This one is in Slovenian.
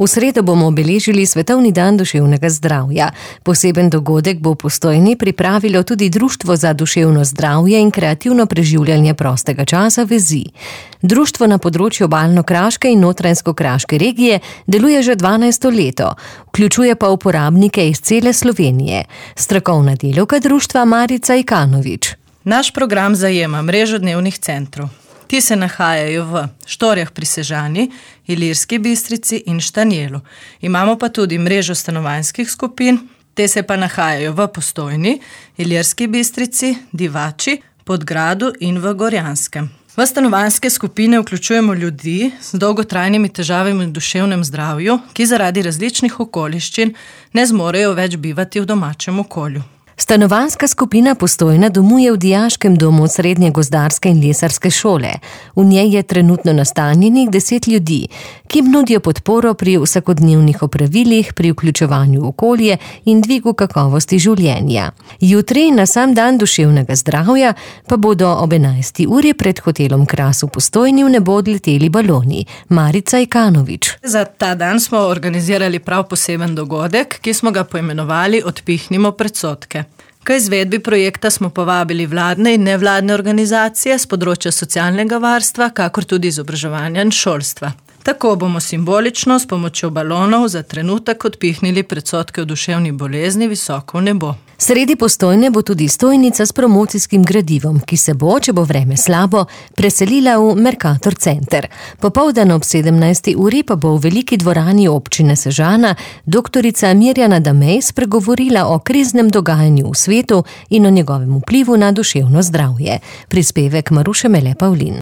V sredo bomo obeležili Svetovni dan duševnega zdravja. Poseben dogodek bo v Postojni pripravilo tudi Društvo za duševno zdravje in kreativno preživljanje prostega časa Vezi. Društvo na področju Obalno-kraške in Notranjsko-kraške regije deluje že 12. leto, vključuje pa uporabnike iz cele Slovenije. Strokovna delavka društva Marica Ikanovič. Naš program zajema mrežo dnevnih centrov. Ti se nahajajo v Štorjah pri Sežani, Ilirski Bistrici in Štanjelu. Imamo pa tudi mrežo stanovanjskih skupin, te se pa nahajajo v Postojni, Ilirski Bistrici, Divači, Podgradu in v Gorjanskem. V stanovanjske skupine vključujemo ljudi z dolgotrajnimi težavami v duševnem zdravju, ki zaradi različnih okoliščin ne zmorejo več bivati v domačem okolju. Stanovanjska skupina Postojna domuje v dijaškem domu Srednje gozdarske in lesarske šole. V njej je trenutno nastanjenih 10 ljudi, ki nudijo podporo pri vsakodnevnih opravilih, pri vključevanju v okolje in dvigu kakovosti življenja. Jutri, na sam dan duševnega zdravja, pa bodo ob 11. uri pred hotelom Kras v Postojni v nebo odleteli baloni. Marica Ikanovič. Za ta dan smo organizirali prav poseben dogodek, ki smo ga poimenovali Odpihnimo predsodke. K izvedbi projekta smo povabili vladne in nevladne organizacije z področja socialnega varstva, kakor tudi izobraževanja in šolstva. Tako bomo simbolično s pomočjo balonov za trenutek odpihnili predsodke o duševni bolezni visoko v nebo. Sredi Postojne bo tudi stojnica s promocijskim gradivom, ki se bo, če bo vreme slabo, preselila v Mercator center. Popoldan ob 17. uri pa bo v veliki dvorani občine Sežana doktorica Mirjana Damej spregovorila o kriznem dogajanju v svetu in o njegovem vplivu na duševno zdravje. Prispevek Maruše Mele Pavlin.